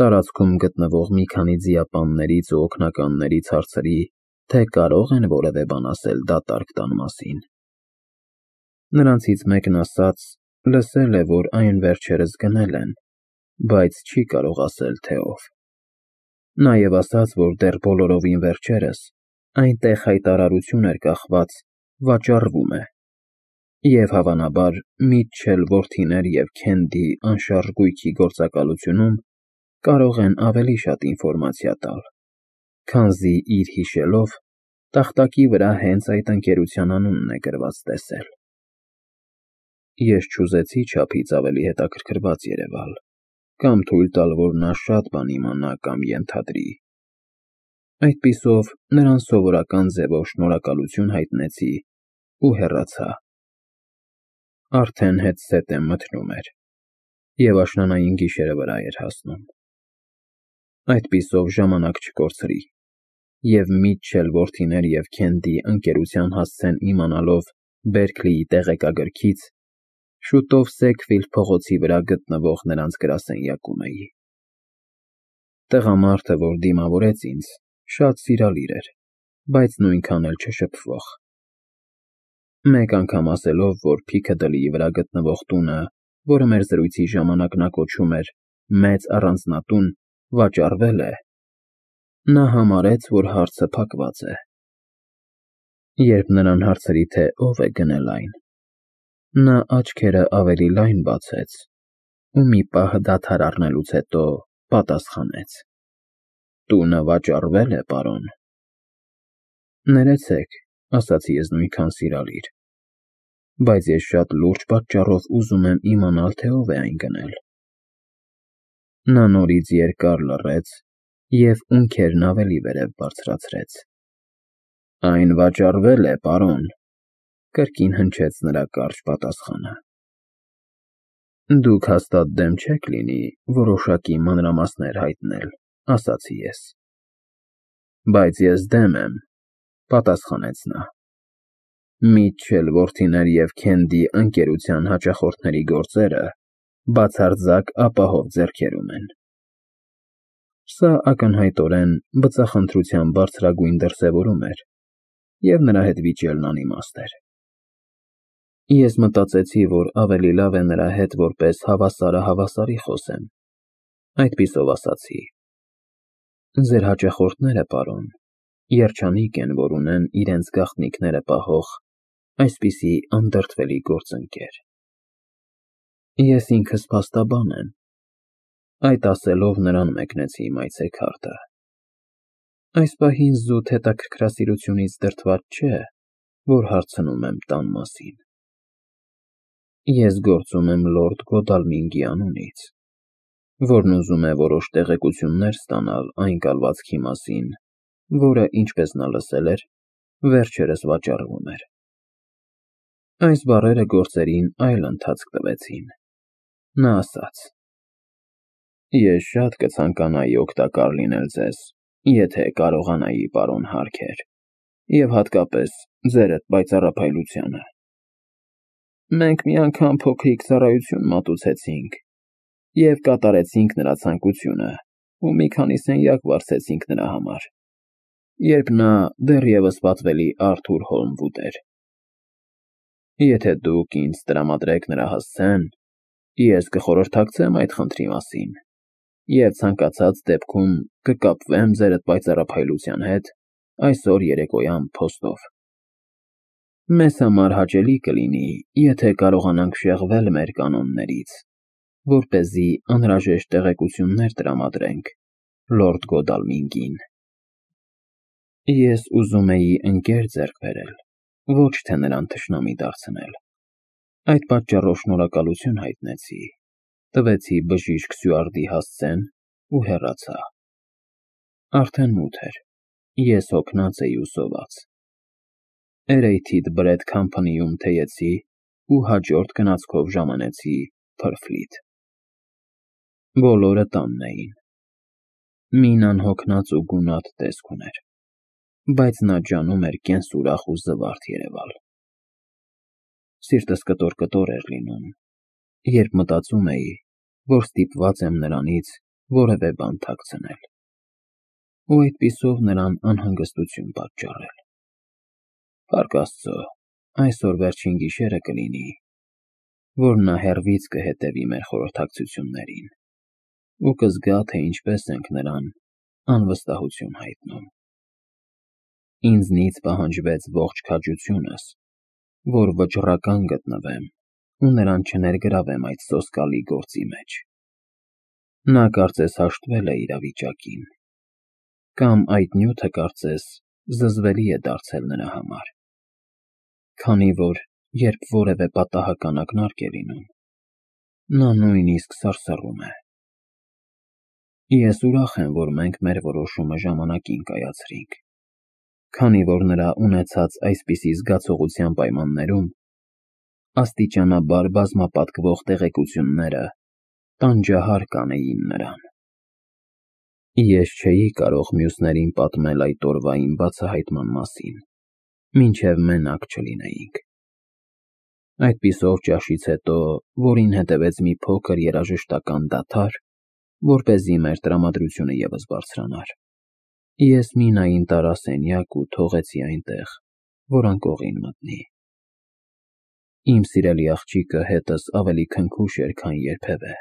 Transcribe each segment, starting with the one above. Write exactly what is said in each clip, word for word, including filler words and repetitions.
տարածքում գտնվող մի քանի ձիապաններից ու օգնականներից հարցրի, թե կարող են որևէ բան ասել դատարկ տան մասին։ Նրանցից մեկն ասաց. լսել է, որ այն վերջերս գնել են, բայց չի կարող ասել, թե ով։ Նաև ասաց, որ դեռ բոլորովին վերջերս այնտեղ հայտարարություն էր կախված. վաճառվում է, և հավանաբար Միթչել որդիներ և Քենդի անշարժ գույքի գործակալությունում կարող են ավելի շատ ինֆորմացիա տալ, քանզի իր հիշելով, տախտակի վրա հենց այդ ընկերության անունն է գրված տեսել։ Ես չուզեցի չափից ավելի հետաքրքրված երևալ, կամ թույլ տալ, որ նա շատ բան իմանա կամ ենթադրի։ Այդպիսով նրան սովորական ձևով շնորհակալություն հայտնեցի ու հեռացա։ Արդեն հետզհետե մթնում էր, և աշնանային գիշերը վրա էր հասնում։ Այդպիսով ժամանակ չկորցրի, և Միթչել որդիներ և Քենդի ընկերության հասցեն իմանալով Բերքլիի տեղեկագրքից, շուտով Սեքվիլդ փողոցի վրա գտնվող նրանց գրասենյակում էի։ Տղամարդը, որ դիմավորեց ինձ, շատ սիրալիր էր, բայց նույնքան էլ չշփվող։ Մեկ անգամ ասելով, որ Փիքադլիի վրա գտնվող տունը, որը մեր զրույցի ժամանակ նա կոչում էր «Մեծ առանձնատուն», վաճառվել է, նա համարեց, որ հարցը փակված է։ Երբ նրան հարցրի, թե ով է գնել այն, նա աչքերը ավելի լայն բացեց ու մի պահ դադար առնելուց հետո պատասխանեց. «Տունը վաճառվել է, պարոն»։ Ներեցեք, ասացի ես նույնքան սիրալիր, բայց ես շատ լուրջ պատճառով ուզում եմ իմանալ, թե ով է այն գնել։ Նա նորից երկար լռեց և ունքերն ավելի վերև բարձրացրեց։ «Այն վաճառվել է, պարոն», կրկին հնչեց նրա կարճ պատասխանը։ «Դուք հաստատ դեմ չեք լինի որոշակի մանրամասներ հայտնել», ասացի ես։ «Բայց ես դեմ եմ», պատասխանեց նա։ «Միթչել որդիներ և Քենդի ընկերության հաճախորդների գործերը բացարձակ ապահով ձեռքերում են»։ Սա ակնհայտորեն բծախնդրության բարձրագույն դրսևորում էր, և նրա հետ վիճելն անիմաստ էր։ Ես մտածեցի, որ ավելի լավ է նրա հետ որպես հավասարը հավասարի խոսեմ, այդպիսով ասացի. «Ձեր հաճախորդները, պարոն, երջանիկ են, որ ունեն իրենց գաղտնիքները պահող այսպիսի անդրդվելի գործընկեր»։ Ես ինքս փաստաբան եմ։ Այդ ասելով նրան մեկնեցի իմ այցեքարտը։ Այս պահին զուտ հետաքրքրասիրությունից դրդված չէ, որ հարցնում եմ տան մասին։ Ես գործում եմ լորդ Գոդալմինգի անունից, որն ուզում է որոշ տեղեկություններ ստանալ այն կալվածքի մասին, որը, ինչպես նա լսել էր, վերջերս վաճառվում էր։ Այս բառերը գործերին այլ ընթացք տվեցին։ Նա ասաց. «Ես շատ կցանկանայի օգտակար լինել ձեզ, եթե կարողանայի, պարոն Հարքեր, և հատկապես ձերդ պայծառափայլությանը։ Մենք մի անգամ փոքրիկ ծառայություն մատուցեցինք և կատարեցինք նրա ցանկությունը ու մի քանի սենյակ վարձեցինք նրա համար, երբ նա դեռևս պատվելի Արթուր Հոլմվուդ էր։ Եթե դուք ինձ տրամադրեք նրա հասցեն, ես կխորհրդակցեմ այդ խնդրի մասին և ցանկացած դեպքում կկապվեմ ձերդ պայծառափայլության հետ այսօր երեկոյան փոստով։ Մեզ համար հաճելի կլինի, եթե կարողանանք շեղվել մեր կանոններից, որպեսզի անհրաժեշտ տեղեկություններ տրամադրենք լորդ Գոդալմինգին։ Ես ուզում էի ընկեր ձեռք բերել, ոչ թե նրան թշնամի դարձնել։ Այդ պատճառով շնորհակալություն հայտնեցի, տվեցի բժիշկ Սյուարտի հասցեն ու հեռացա։ Արդեն մութ էր, ես հոգնած էի ու սոված։ Էրեյթիդ Բրեդ Քամփանիում թեյեցի ու հաջորդ գնացքով ժամանեցի Փրֆլիթ։ Բոլորը տանն էին։ Մինան հոգնած ու գունատ տեսք ուներ, բայց նա ջանում էր կենսուրախ ու զվարթ երևալ։ Սիրտս կտոր֊կտոր էր լինում, երբ մտածում էի, որ ստիպված եմ նրանից որևէ բան թաքցնել, ու այդպիսով նրան անհանգստություն պատճառել։ Փառք Աստծո, այսօր վերջին գիշերը կլինի, որ նա հեռվից կհետևի մեր խորհրդակցություններին ու կզգա, թե ինչպես ենք նրան անվստահություն հայտնում։ Ինձնից պահանջվեց ողջ քաջությունս, որ վճռական գտնվեմ ու նրան չներգրավեմ այդ սոսկալի գործի մեջ։ Նա կարծես հաշտվել է իրավիճակին, կամ այդ նյութը կարծես զզվելի է դարձել նրա համար, քանի որ երբ որևէ պատահական ակնարկ է լինում, նա նույնիսկ սարսռում է։ Ես ուրախ եմ, որ մենք մեր որոշումը ժամանակին կայացրինք, քանի որ նրա ունեցած այսպիսի զգացողության պայմաններում աստիճանաբար բազմապատկվող տեղեկությունները տանջահար կանեին նրան։ Ես չէի կարող մյուսներին պատմել այդ օրվա իմ բացահայտման մասին, մինչև մենակ չլինեինք։ Այդպիսով ճաշից հետո, որին հետևեց մի փոքր երաժշտական դադար, որպեսզի մեր տրամադրությունը ևս բարձրանար, ես Մինային տարա սենյակ ու թողեցի այնտեղ, որ անկողին մտնի։ Իմ սիրելի աղջիկը հետս ավելի քնքուշ էր, քան երբևէ,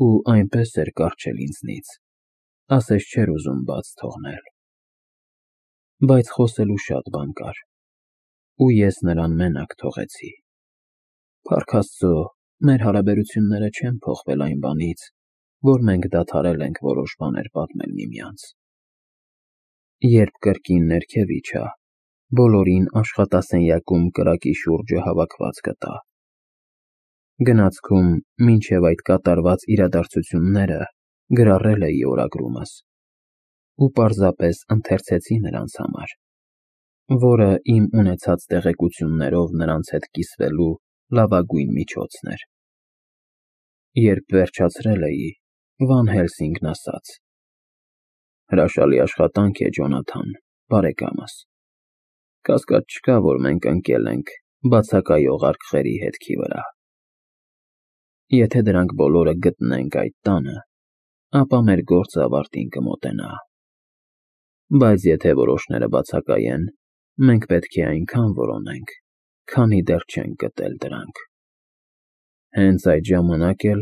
ու այնպես էր կառչել ինձնից, ասես չէր ուզում բաց թողնել։ Բայց խոսելու շատ բան կար, ու ես նրան մենակ թողեցի։ Փառք Աստծո, մեր հարաբերությունները չեն փոխվել այն բանից, որ մենք դադարել ենք որոշ բաներ պատմել միմյանց։ Երբ կրկին ներքև իջա, բոլորին աշխատասենյակում կրակի շուրջը հավաքված գտա։ Գնացքում, մինչև այդ կատարված իրադարձությունները գրառել էի օրագրումս ու պարզապես ընթերցեցի նրանց համար, որը իմ ունեցած տեղեկություններով նրանց հետ կիսվելու լավագույն միջոցն էր։ Երբ վերջացրել էի, Վան Հելսինգն ասաց. «Հրաշալի աշխատանք է, Ջոնաթան, բարեկամս։ Կասկած չկա, որ մենք ընկել ենք բացակայող արկղերի հետքի վրա։ Եթե դրանք բոլորը գտնենք այդ տանը, ապա մեր գործը ավարտին կմոտենա։ Բայց եթե որոշները բացակայեն, մենք պետք է այնքան որոնենք, քանի դեռ չենք գտել դրանք։ Հենց այդ ժամանակ էլ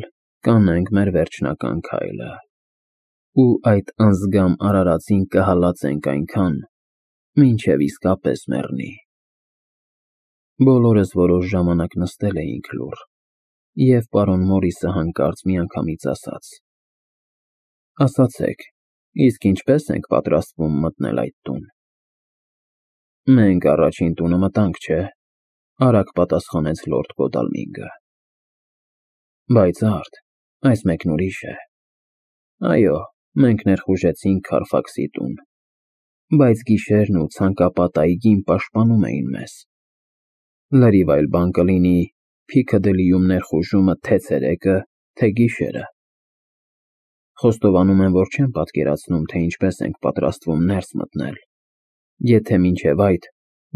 կանենք մեր վերջնական քայլը, ու այդ անձգամ արարածին կհալածենք այնքան, մինչև իսկապես մեռնի»։ Բոլորս որոշ ժամանակ նստել էինք լուռ, և պարոն Մորիսը հանկարծ միանգամից ասաց. «Ասացեք, իսկ ինչպե՞ս ենք պատրաստվում մտնել այդ տուն»։ «Մենք առաջին տունը մտանք, չէ՞, արագ պատասխանեց լորդ Գոդալմինգը։ Բայց արդ, այս մեկն ուրիշ է։ Այո, մենք ներխուժեցինք Քարֆաքսի տուն, բայց գիշերն ու ցանկապատ այգին պաշտպանում էին մեզ։ Լրիվ այլ բան կլինի Փիքադիլիում ներխուժումը թե ցերեկը, թե գիշերը։ Խոստովանում եմ, որ չեմ պատկերացնում, թե ինչպես ենք պատրաստվում ներս մտնել, եթե մինչև այդ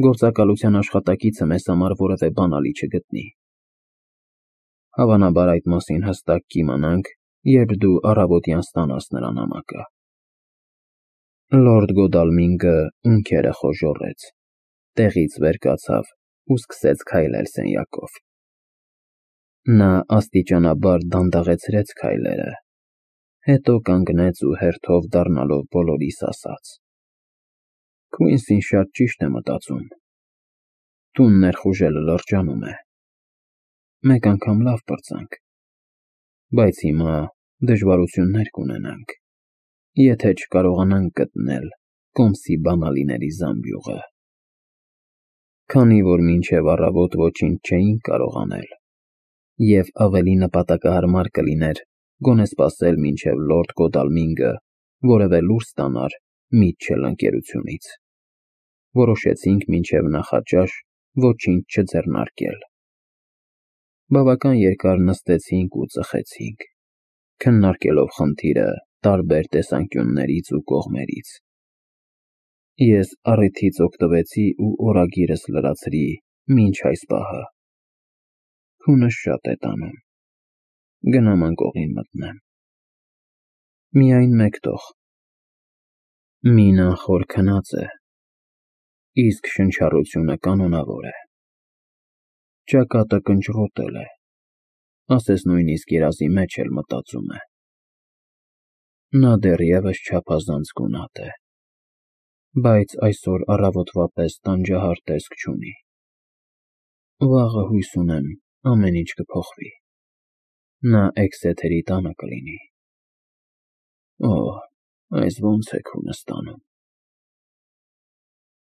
գործակալության աշխատակիցը մեզ համար որևէ բանալի չգտնի։ Հավանաբար այդ մասին հստակ կիմանանք, երբ դու առավոտյան ստանաս նրա նամակը»։ Լորդ Գոդալմինգը ունքերը խոժոռեց, տեղից վեր կացավ ու սկսեց քայլել սենյակով։ Նա աստիճանաբար դանդաղեցրեց քայլերը, հետո կանգնեց ու հերթով դառնալով բոլորիս ասաց. «Քույնսին շատ ճիշտ է մտածում։ Տուն ներխուժելը լրջանում է։ Մեկ անգամ լավ պրծանք, բայց հիմա դժվարություններ կունենանք, եթե չկարողանանք գտնել կոմսի բանալիների զամբյուղը»։ Քանի որ մինչև առավոտ ոչինչ չէինք կարող անել, և ավելի նպատակահարմար կլիներ գոնե սպասել, մինչև լորդ Գոդալմինգը որևէ լուր ստանար Միթչել ընկերությունից, որոշեցինք մինչև նախաճաշ ոչինչ չձեռնարկել։ Բավական երկար նստեցինք ու ծխեցինք, քննարկելով խնդիրը տարբեր տեսանկյուններից ու կողմերից։ Ես առիթից օգտվեցի ու օրագիրս լրացրի մինչ այս պահը։ Քունս շատ է տանում։ Գնամ անկողին մտնեմ։ Միայն մեկ տող։ Մինան խոր քնած է, իսկ շնչառությունը կանոնավոր է։ Ճակատը կնճռոտել է, ասես նույնիսկ երազի մեջ էլ մտածում է։ Նա դեռևս չափազանց գունատ է, բայց այսօր առավոտվա պես տանջահար տեսք չունի։ Վաղը հույս ունեմ, ամեն ինչ կփոխվի, նա Էքսեթերի տանը կլինի։ Օ՜, այս ո՞նց է քունս տանում։